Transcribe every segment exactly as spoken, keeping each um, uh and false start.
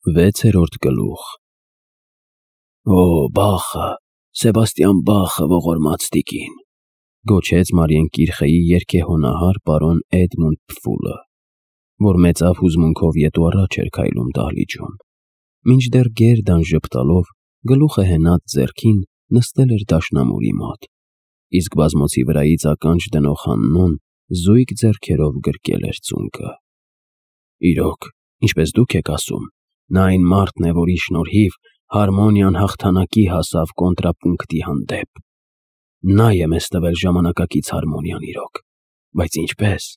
Վեցերորդ գլուխ։ Օ, Բախը, Սեբաստիան Բախը ողորմած տիկին, գոչեց Մարիեն Կիրխեի երգեհոնահար պարոն Էդմոնդ Փֆուլը, որ մեծավ հուզմունքով ետու առաջ էր քայլում դահլիճում, մինչդեռ գերդան ժպտալով գլուխը հենած ձեռքին նստել էր դաշնամուրի մոտ, իսկ բազմոցի վրայից ականջ դնող Հաննոն զույգ ձեռքերով գրկել էր ծունկը։ Իրոք, ինչպես դուք եք ասում, նա այն մարդն է, որի շնորհիվ հարմոնիան հաղթանակի հասավ կոնտրապունկտի հանդեպ։ Նա է մեզ տվել ժամանակակից հարմոնիան իրոք, բայց ինչպես։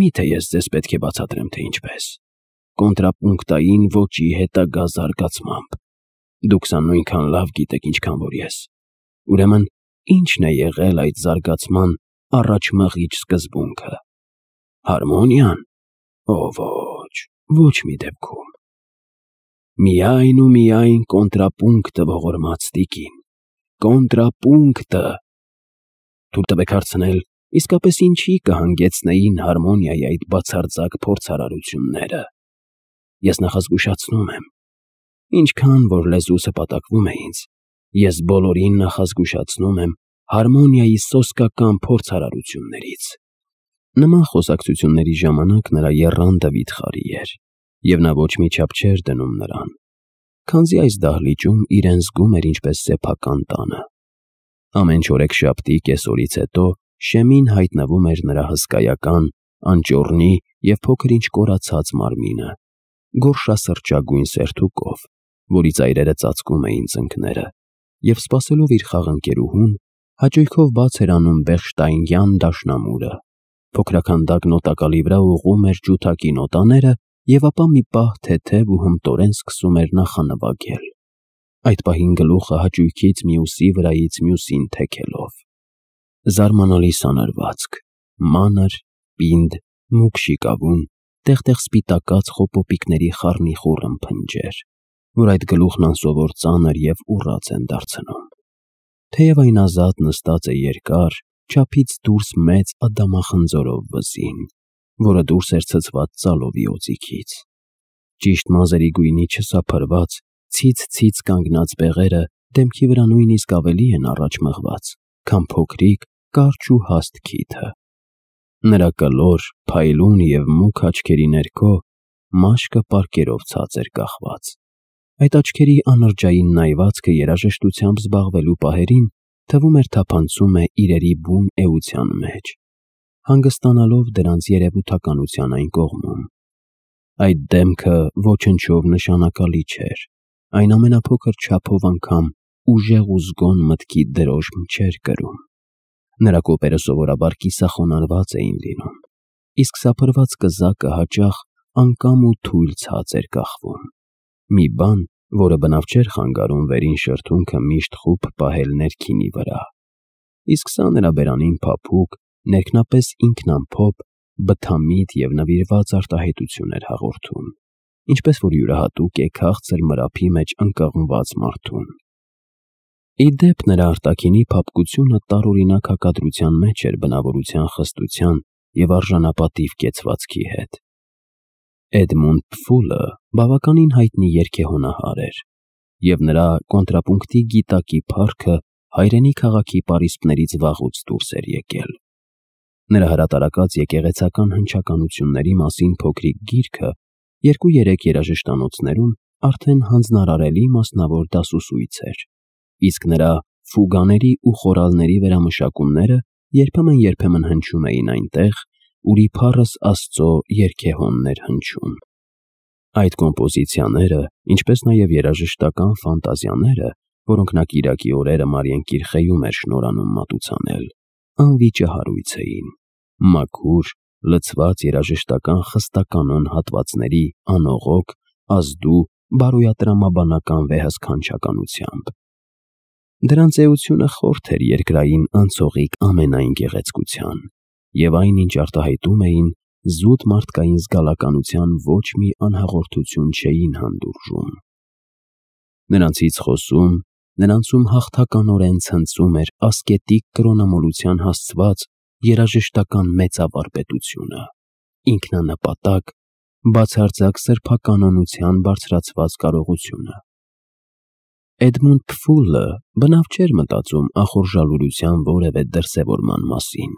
Միթե ես ձեզ պետք է բացատրեմ, թե ինչպես։ Կոնտրապունկտային ոճի հետագա զարգացմամբ։ Դուք սա նույնքան լավ գիտեք, ինչքան որ ես։ Ուրեմն, ի՞նչն է եղել այդ զարգացման առաջմղիչ սկզբունքը։ Հարմոնիան։ Ո ոչ, ոչ մի դեպքում։ Միայն ու միայն կոնտրապունկտը ողորմած տիկին, կոնտրապունկտը։ Թույլ տվեք հարցնել, իսկապես ինչի կհանգեցնեին հարմոնիայի այդ բացարձակ փորձարարությունները։ Ես նախազգուշացնում եմ, ինչքան որ լեզուս հպատակվում է ինձ, ես բոլորին նախազգուշացնում եմ հարմոնիայի սոսկական փորձարարություններից։ Նման խոսակցությունների ժամանակ նրա եռանդը վիթխարի էր, և նա ոչ մի չափ չէր դնում նրան, քանզի այս դահլիճում իրեն զգում էր ինչպես սեփական տանը։ Ամեն չորեքշաբթի կեսօրից հետո շեմին հայտնվում էր նրա հսկայական, անճոռնի և փոքր-ինչ կորացած մարմինը, գորշասրճագույն սերթուկով, որի ծայրերը ծածկում էին ծնկները, և սպասելով իր խաղընկերուհուն, հաճույքով բաց էր անում Բեխշտայնյան դաշնամուրը, փոքրաքանդակ նոտակալի վրա ուղղում էր ջութակի նոտաները և ապա մի պահ թեթև ու հմտորեն սկսում էր նախանվագել, այդ պահին գլուխը հաճույքից մյուսի վրայից մյուսին թեքելով։ Զարմանալի սանրվածք, մանր, պինդ, մուգ շիկավուն, տեղ-տեղ սպիտակած խոպոպիկների խառնիխուռ ըմփնջեր, որ այդ գլուխն անսովոր ծանր և ուռած են դարձնում։ Թեև այն ազատ նստած է երկար, չափից դուրս մեծ ադամախնձորով վզին, որը դուրս էր ցցված ծալովի օձիքից։ Ճիշտ մազերի գույնի չսափրված, ցից-ցից կանգնած բեղերը դեմքի վրա նույնիսկ ավելի են առաջ մղված, քան փոքրիկ, կարճ ու հաստ քիթը։ Նրա կլոր, փայլուն և մուգ աչքերի ներքո մաշկը պարկերով ցած էր կախված։ Այդ աչքերի անրջային նայվածքը երաժշտությամբ զբաղվելու պահերին թվում էր թափանցում է իրերի բուն էության մեջ, հանգստանալով դրանց երևութականության այն կողմում։ Այդ դեմքը ոչնչով նշանակալի չէր, այն ամենափոքր չափով անգամ ուժեղ ու զգոն մտքի դրոշմ չէր կրում։ Նրա կոպերը սովորաբար կիսախոնարհված էին լինում, իսկ սափրված կզակը հաճախ անկամ ու թույլ ցած էր կախվում։ Մի բան, որը բնավ չէր խանգարում վերին շրթունքը միշտ խուփ պահել ներքինի վրա, իսկ սա նրա բերանին փափուկ, ներքնապես ինքնամփոփ, բթամիտ և նվիրված արտահայտություն էր հաղորդում, ինչպես որ յուրահատուկ է քաղցր մրափի մեջ ընկղմված մարդուն։ Ի դեպ, նրա արտաքինի փափկությունը տարօրինակ հակադրության մեջ էր բնավորության խստության և արժանապատիվ կեցվածքի հետ։ Էդմոնդ Փֆուլը բավականին հայտնի երգեհոնահար էր, և նրա կոնտրապունկտի գիտակի փառքը հայրենի քաղաքի պարիսպներից վաղուց դուրս էր եկել։ Նրա հրատարակած եկեղեցական հնչականությունների մասին փոքրիկ գիրքը երկու-երեք երաժշտանոցներում արդեն հանձնարարելի մասնավոր դասուսույց էր, իսկ նրա ֆուգաների ու խորալների վերամշակումները երբեմն-երբեմն հնչում էին այնտեղ, ուր իբառս Աստծո երգեհոնն էր հնչում։ Այդ կոմպոզիցիաները, ինչպես նաև երաժշտական ֆանտազիաները, որոնք նա կիրակի օրերը Մարիեն Կիրխեում էր շնորհանում մատուցանել, անվիճահարույց էին, մաքուր, լցված երաժշտական խստականոն հատվածների անողոք, ազդու, բարոյատրամաբանական վեհասքանչականությամբ։ Դրանց էությունը խորթ էր երկրային անցողիկ ամենայն գեղեցկության, և այն, ինչ արտահայտում էին, զուտ մարդկային զգալականության ոչ մի անհաղորդություն չէին հանդուրժում։ Նրանցից խոսում, նրանցում հաղթականորեն ցնծում էր ասկետիկ կրոնամոլության հասցված երաժշտական մեծավարպետությունը, ինքնանպատակ, բացարձակ սրբականոնության բարձրացված կարողությունը։ Էդմոնդ Փֆուլը բնավ չէր մտածում ախորժալուրության որևէ դրսևորման մասին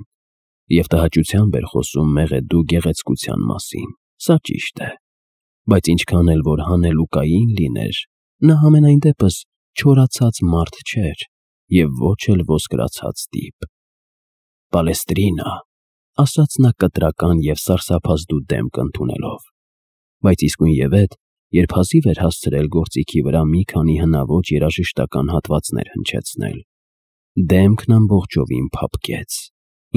և տհաճությամբ էր խոսում մեղեդու գեղեցկության մասին, սա ճիշտ է, բայց ինչքան էլ որ հանելուկային լիներ, նա համենայն դեպս չորացած մարդ չէր և ոչ էլ ոսկրացած տիպ։ «Պալեստրինա», ասաց նա կտրական և սարսափազդու դեմք ընդունելով, բայց իսկույնևեթ, երբ հազիվ էր հասցրել գործիքի վրա մի քանի հնաոճ երաժշտական հատվածներ հնչեցնել, դեմքն ամբողջովին փափկեց,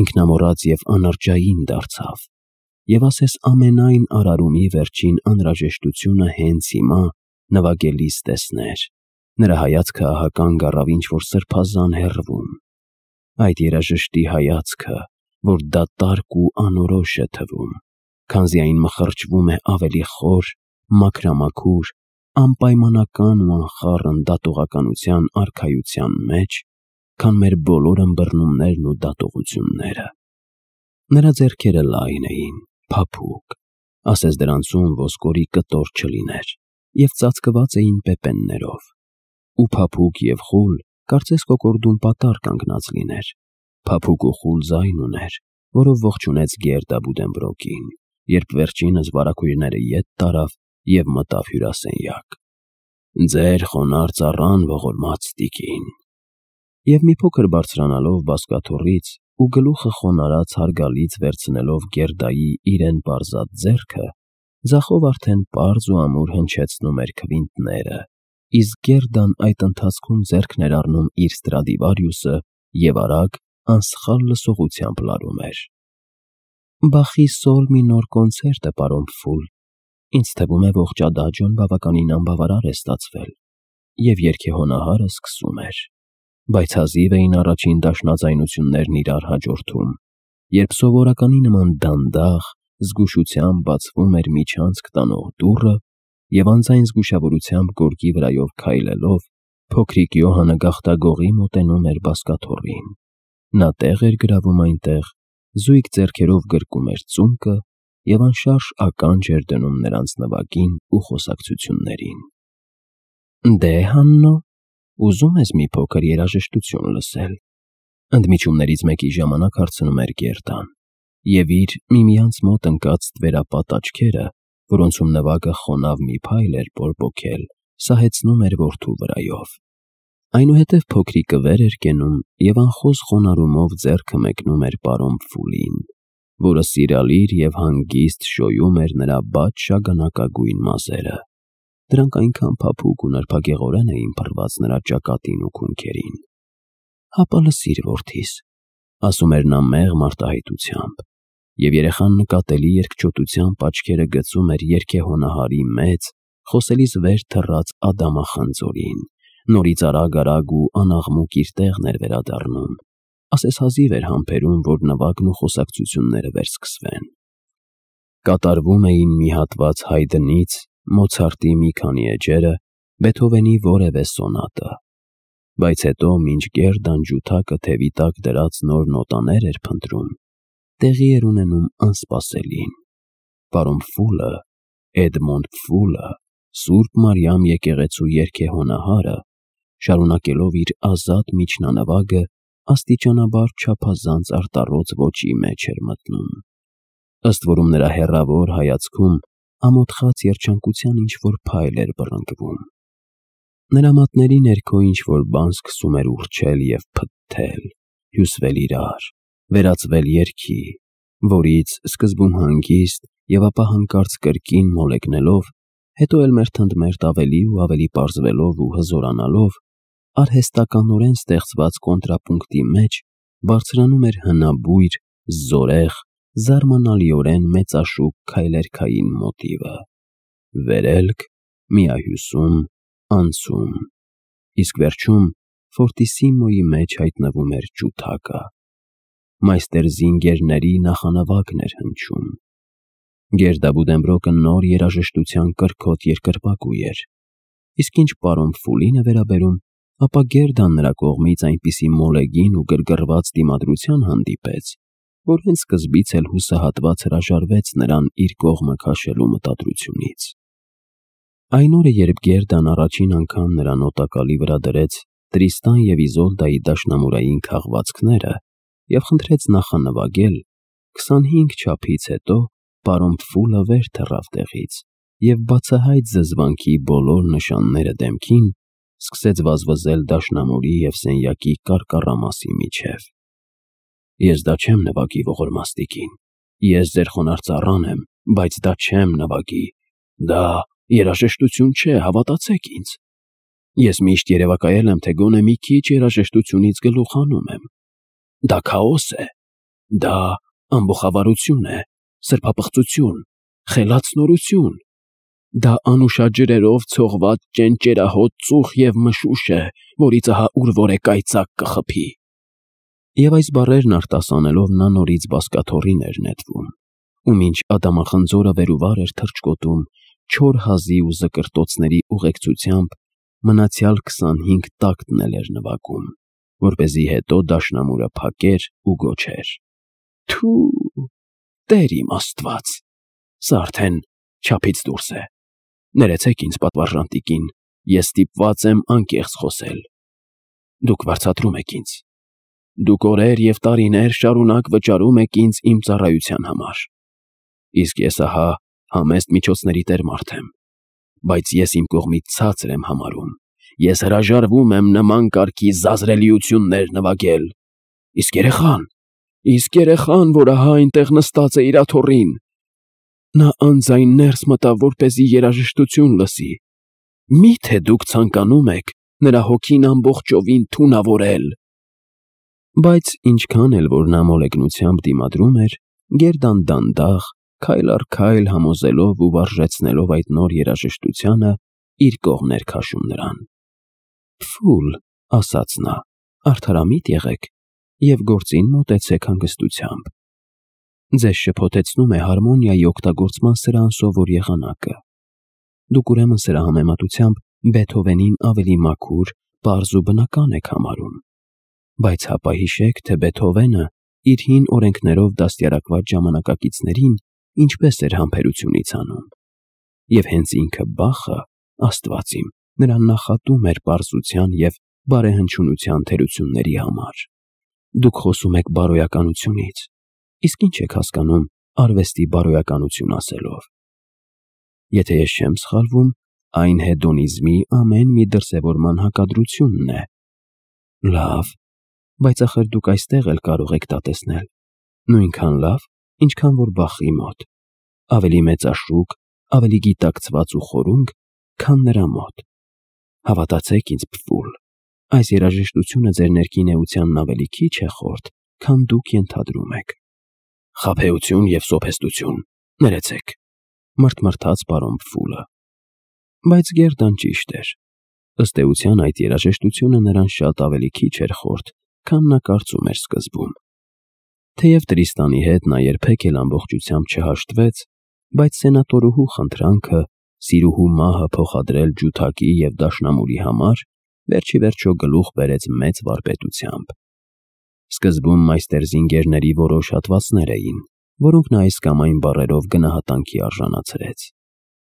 ինքնամոռաց և անարճային դարձավ, և ասես ամենայն արարումի վերջին անհրաժեշտությունը հենց հիմա նվագելիս տեսներ, նրա հայացքը ահա կանգ առավ ինչ-որ սրբազան հեռվում, այդ երաժշտի հայացքը, որ դատարկ ու անորոշ է թվում, քանզի այն մխրճվում է ավելի խոր, մաքրամաքուր, անպայմանական ու անխառն դատողականության արքայության մեջ, քան մեր բոլոր ըմբռնումներն ու դատողությունները։ Նրա ձեռքերը լայն էին, փափուկ, ասես դրանցում ոսկորի կտոր չլիներ, և ծածկված էին պեպեններով, ու փափուկ և խուլ, կարծես կոկորդում պատառ կանգնած լիներ, փափուկ ու խուլ ձայն ուներ, որով ողջունեց Գերդա Բուդենբրոկին, երբ վերջինս վարագույրները ետ տարավ և մտավ հյուրասենյակ։ «Ձեր խոնարհ ծառան, ողորմած տիկին»։ Եվ մի փոքր բարձրանալով բազկաթոռից ու գլուխը խոնարհած հարգալից վերցնելով Գերդայի իրեն պարզած ձեռքը, ձախով արդեն պարզ ու ամուր հնչեցնում էր քվինտները, իսկ Գերդան այդ ընթացքում ձեռքն էր առնում իր Ստրադիվարիուսը և արագ, անսխալ լսողությամբ լարում էր. «Բախի սոլ մի նոր կոնցերտ է, պարոն Փֆուլ, ինձ թվում է ողջ ադաջոն բավականին անբավարար է ստացվել», և երգեհոնահարը սկսում էր, բայց հազիվ էին առաջին դաշնաձայնություններն իրար հաջորդում, երբ սովորականի նման դանդաղ, զգուշությամբ բացվում էր միջանցք տանող դուռը, և անձայն զգուշավորությամբ գորգի վրայով քայլելով, փոքրիկ Յոհանը գաղտագողի մոտենում էր բազկաթոռին, նա տեղ էր գրավում այնտեղ, զույգ ձեռքերով գրկում էր ծունկը և անշարժ ականջ էր դնում նրանց նվագին ու խոսակցություններին։ «Դե, Հաննո, ուզում ես մի փոքր երաժշտություն լսել»։ Ընդմիջումներից մեկի ժամանակ հարցնում էր Գերդան, և իր միմյանց մոտ ընկած ստվերապատ աչքերը, որոնցում նվագը խոնավ մի փայլ էր բորբոքել, սահեցնում էր որդու վրայով։ Այնուհետև փոքրիկը վեր էր կենում և անխոզ խոնարհումով ձեռքը մեկնում էր պարոն Փֆուլին, որը սիրալիր և հանգիստ շոյում էր նրա բաց շագանակագույն մազերը, դրանք այնքան փափուկ ու նրբագեղորեն էին փռված նրա ճակատին ու քունքերին։ «Հապա լսիր, որդիս», ասում էր նա մեղմ արտահայտությամբ, և երեխան նկատելի երկչոտությամբ աչքերը գցում էր երգեհոնահարի մեծ, խոսելիս վեր թռած ադամախնձորին, նորից արագ-արագ ու անաղմուկ իր տեղն էր վերադառնում, ասես հազիվ էր համբերում, որ նվագն ու խոսակցությունները վերսկսվեն։ Կատարվում էին մի հատված Հայդնից, Մոցարտի մի քանի էջերը, Բեթհովենի որևէ սոնատը, բայց հետո, մինչ Գերդան ջութակը թևի տակ դրած նոր նոտաներ էր փնտրում, տեղի էր ունենում անսպասելին։ Պարոն Փֆուլը, Էդմոնդ Փֆուլը, Սուրբ Մարիամ եկեղեցու երգեհոնահարը, շարունակելով իր ազատ միջնանվագը, աստիճանաբար չափազանց արտառոց ոճի մեջ էր մտնում, ըստ որում նրա հեռավոր հայացքում ամոթխած երջանկության ինչ-որ փայլ էր բռնկվում։ Նրա մատների ներքո ինչ-որ բան սկսում էր ուռչել և փթթել, հյուսվել իրար, վերածվել երգի, որից, սկզբում հանգիստ և ապա հանկարծ կրկին մոլեգնելով, հետո էլ մերթընդմերթ ավելի ու ավելի պարզվելով ու հզորանալով, արհեստականորեն ստեղծված կոնտրապունկտի մեջ բարձրանում էր հնաբույր, զորեղ, զարմանալիորեն մեծաշուք քայլերգային մոտիվը. վերելք, միահյուսում, անցում, իսկ վերջում ֆորտիսիմոյի մեջ հայտնվում էր ջութակը։ Մայստեր Զինգերների նախանվագն էր հնչում։ Գերդա Բուդենբրոկը նոր երաժշտության կրքոտ երկրպագու էր, իսկ ինչ պարոն Փֆուլին է վերաբերում, ապա Գերդան նրա կողմից այնպիսի մոլեգին ու գրգռված դիմադրության հանդիպեց, որ հենց սկզբից էլ հուսահատված հրաժարվեց նրան իր կողմը քաշելու մտադրությունից։ Այն օրը, երբ Գերդան առաջին անգամ նրան օտակալի վրա դրեց Տրիստան և Իզոլդայի դաշնամուրային քաղվածքները և խնդրեց նախանվագել, քսանհինգ չափից հետո պարոն Փֆուլը վեր թռավ տեղից և բացահայտ զզվանքի բոլոր նշանները դեմքին սկսեց վազվզել դաշնամուրի և սենյակի կարկառամասի միջև։ Ես դա չեմ նվագի, ողորմաստիկին, ես ձեր խոնարհ ծառան եմ, բայց դա չեմ նվագի, դա երաժշտություն չէ, հավատացեք ինձ։ Ես միշտ երևակայել եմ, թե գոնե մի քիչ երաժշտությունից գլուխ հանում եմ։ Դա քաոս է, դա ամբոխավարություն է, սրբապղծություն, խելաց նորություն, դա անուշաջ ջրերով ցողված ճենճերահոտ ծուխ և մշուշ է, որից ահա ուր որ է կայծակ կխփի։ Եվ այս բառերն արտասանելով նա նորից բազկաթոռին էր նետվում, ու մինչ ադամախնձորը վեր ու վար էր թռչկոտում չոր հազի ու զկրտոցների ուղեկցությամբ, մնացյալ քսանհինգ տակտն էլ էր նվագում, որպեսզի հետո դաշնամուրը փակեր ու գոչեր. «Թու, Տեր իմ Աստված, սա արդեն չափից դուրս է, ներեցեք ինձ, պատվարժան տիկին, ես ստիպված եմ անկեղծ խոսել։ Դուք վարձատրում եք ինձ, դուք օրեր և տարիներ շարունակ վճարում եք ինձ իմ ծառայության համար, իսկ ես ահա համեստ միջոցների տեր մարդ եմ, բայց ես իմ կողմից ցածր եմ համարում, ես հրաժարվում եմ նման կարգի զազրելիություններ նվագել, իսկ երեխան, իսկ երեխան, որ ահա այնտեղ նստած է իր աթոռին, նա անձայն ներս մտավ, որպեսզի երաժշտություն լսի, մի՞թե դուք ցանկանում եք նրա հոգին ամբողջովին թունավորել»։ Բայց ինչքան էլ որ նա մոլեգնությամբ դիմադրում էր, Գերդան դանդաղ, քայլ առ քայլ համոզելով ու վարժեցնելով այդ նոր երաժշտությանը, իր կողմն էր քաշում նրան։ «Փֆուլ», ասաց նա, «արդարամիտ եղեք և գործին մոտեցեք հանգստությամբ։ Ձեզ շփոթեցնում է հարմոնիայի օգտագործման սրանսովոր եղանակը։ Դուք ուրեմն սրա համեմատությամբ Բեթհովենին ավելի մաքուր, պարզ ու բնական եք համարում։ Բայց հապա հիշեք, թե Բեթհովենը իր հին օրենքներով դաստիարակված ժամանակակիցներին ինչպես էր համբերությունից անում։ Եվ հենց ինքը Բախը, Աստված իմ, նրան նախատում էր պարզության և բարեհնչյունության թերությունների համար։ Դուք խոսում եք բարոյականությունից, իսկ ի՞նչ եք հասկանում արվեստի բարոյականություն ասելով։ Եթե ես չեմ սխալվում, այն հեդոնիզմի ամեն մի դրսևորման հակադրությունն է։ Լավ, բայց ախր դուք այստեղ էլ կարող եք դա տեսնել, նույնքան լավ, ինչքան որ Բախի մոտ, ավելի մեծաշուկ, ավելի գիտակցված ու խորունգ, քան նրա մոտ։ Հավատացեք ինձ, Փֆուլ, այս երաժշտությունը ձեր ներքին էությանն ավելի քիչ է խորթ, քան դուք ենթադրում եք։ Խաբեություն և սոփեստություն, ներեցեք, մռթմռթաց պարոն Փֆուլը։ Բայց Գերդան ճիշտ էր։ Ըստ էության այդ երաժշտությունը նրան շատ ավելի քիչ էր խորթ, քան նա կարծում էր սկզբում։ Թեև Տրիստանի հետ նա երբեք էլ ամբողջությամբ չհաշտվեց, բայց սենատորուհու խնդրանքը սիրուհու մահը փոխադրել ջութակի և դաշնամուրի համար վերջիվերջո գլուխ բերեց մեծ վարպետությամբ։ Սկզբում մայստեր զինգերների որոշ հատվածներ էին, որոնք նա այս կամ այն բառերով գնահատանքի արժանացրեց։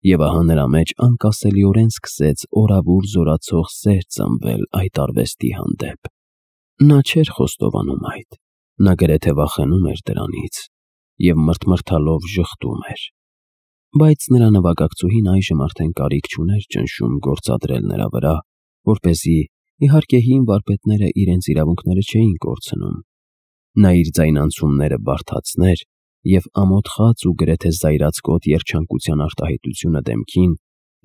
Եվ ահա նրա մեջ անկասելիորեն սկսեց օրավուր զորացող սեր ծնվել այդ արվեստի հանդեպ։ Նա չէր խոստովանում այդ, նա գրեթե վախենում էր դրանից և մռթմռթալով ժխտում էր։ Բայց նրա նվագակցուհին այժմ արդեն կարիք չուներ ճնշում գործադրել նրա վրա, որպեսզի, իհարկե, հին վարպետները իրենց իրավունքները չէին կորցնում, նա իր ձայնանցումները բարդացներ և ամոթխած ու գրեթե զայրացկոտ երջանկության արտահայտությունը դեմքին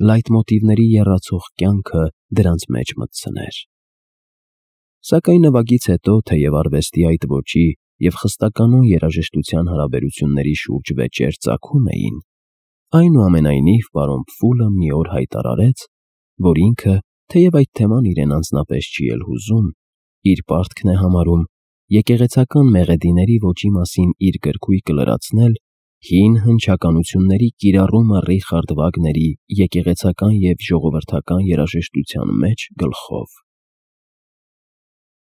լայթմոտիվների եռացող կյանքը դրանց մեջ մտցներ։ Սակայն նվագից հետո, թեև արվեստի այդ ոճի և խստականոն երաժշտության հարաբերությունների շուրջ վեճեր ծագում էին, այնուամենայնիվ պարոն Փֆուլը մի օր հայտարարեց, որ ինքը, թեև այդ թեման իրեն անձնապես չի էլ հուզում, իր պարտքն է համարում եկեղեցական մեղեդիների ոճի մասին իր գրքույկը լրացնել հին հնչականությունների կիրառումը Ռիխարդ Վագների եկեղեցական և ժողովրդական երաժշտության մեջ գլխով։